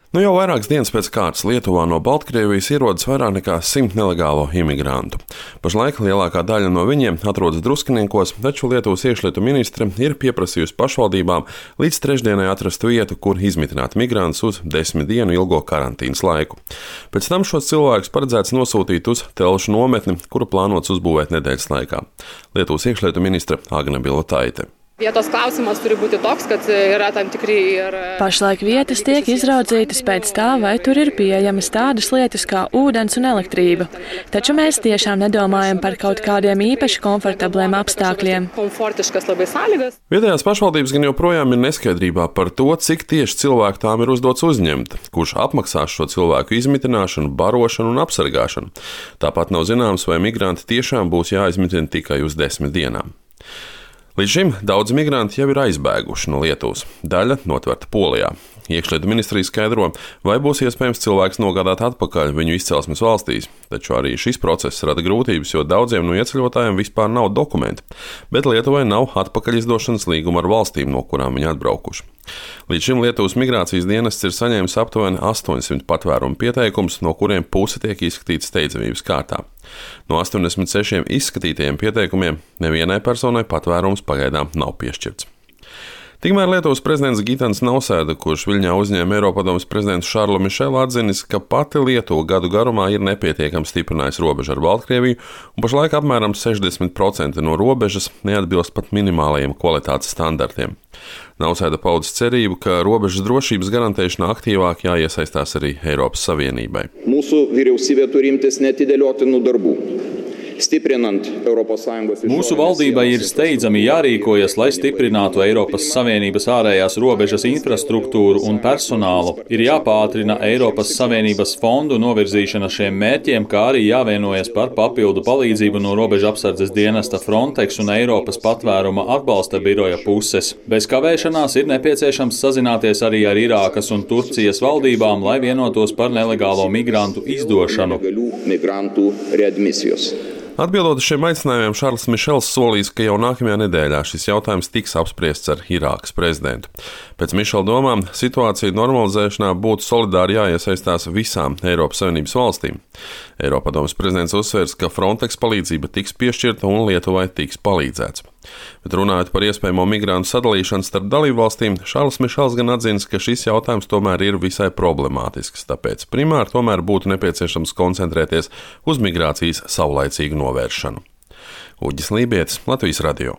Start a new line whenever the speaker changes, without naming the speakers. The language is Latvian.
Nu jau vairākas dienas pēc kārtas Lietuvā no Baltkrievijas ierodas vairāk nekā 100 nelegālo imigrantu. Pašlaik lielākā daļa no viņiem atrodas Druskiniekos, taču Lietuvas iekšlietu ministre ir pieprasījusi pašvaldībām līdz trešdienai atrast vietu, kur izmitināt migrantus uz 10 dienu ilgo karantīnas laiku. Pēc tam šos cilvēkus paredzēts nosūtīt uz Telšu nometni, kuru plānots uzbūvēt nedēļas laikā. Lietuvas iekšlietu ministre Agne Bilotaite.
Vietos klausimas turi būti toks, kad yra tam tikri ir...
Pašlaik vietas tiek izraudzītas pēc tā, vai tur ir pieejamas tādas lietas kā ūdens un elektrība. Taču mēs tiešām nedomājam par kaut kādiem īpaši komfortabliem apstākļiem.
Vietējās pašvaldības gan joprojām ir neskaidrībā par to, cik tieši cilvēku tām ir uzdots uzņemt, kurš apmaksās šo cilvēku izmitināšanu, barošanu un apsargāšanu. Tāpat nav zināms, vai migranti tiešām būs jāizmitina tikai uz 10 dienām. Līdz šim daudz migranti jau ir aizbēguši no Lietuvas, daļa notverta Polijā. Iekšlietu ministrija skaidro, vai būs iespējams cilvēks nogādāt atpakaļ viņu izcelsmes valstīs, taču arī šis process rada grūtības, jo daudziem no ieceļotājiem vispār nav dokumenti, bet Lietuvai nav atpakaļizdošanas līguma ar valstīm, no kurām viņi atbraukuši. Līdz šim Lietuvas migrācijas dienests ir saņēmis aptuveni 800 patvērumu pieteikumus, no kuriem puse tiek izskatīti steidzamības kārtā. No 86 izskatītajiem pieteikumiem nevienai personai patvērums pagaidām nav piešķirts. Tikmēr Lietuvas prezidents Gitanas Nausēda, kurš Viļņā uzņēma Eiropadomes prezidentu Šarlu Mišelu, atzinis, ka pati Lietuva gadu garumā ir nepietiekami stiprinājusi robežu ar Baltkrieviju, un pašlaik apmēram 60% no robežas neatbilst pat minimālajiem kvalitātes standartiem. Nausēda paudis cerību, ka robežas drošības garantēšanā aktīvāk jāiesaistās arī Eiropas Savienībai.
Mūsu vyriausybė turi imtis neatidėliotinų darbų.
Mūsu valdībai ir steidzami jārīkojas, lai stiprinātu Eiropas Savienības ārējās robežas infrastruktūru un personālu. Ir jāpātrina Eiropas Savienības fondu novirzīšana šiem mērķiem, kā arī jāvienojas par papildu palīdzību no robeža apsardzes dienesta Frontex un Eiropas patvēruma atbalsta biroja puses. Bez kavēšanās ir nepieciešams sazināties arī ar Irākas un Turcijas valdībām, lai vienotos par nelegālo migrantu izdošanu.
Atbildot uz šiem aicinājumiem, Šarls Mišels solīs, ka jau nākamajā nedēļā šis jautājums tiks apspriests ar Irākas prezidentu. Pēc Mišela domām, situācija normalizēšanā būtu solidāri jāiesaistās visām Eiropas Savienības valstīm. Eiropadomes prezidents uzsvērs, ka Frontex palīdzība tiks piešķirta un Lietuvai tiks palīdzēts. Bet runājot par iespējamo migrantu sadalīšanu starp dalībvalstīm, Šarls Mišels gan atzīst, ka šis jautājums tomēr ir visai problemātisks, tāpēc primāri tomēr būtu nepieciešams koncentrēties uz migrācijas saulaicīgu novēršanu. Uģis Lībietis, Latvijas radio.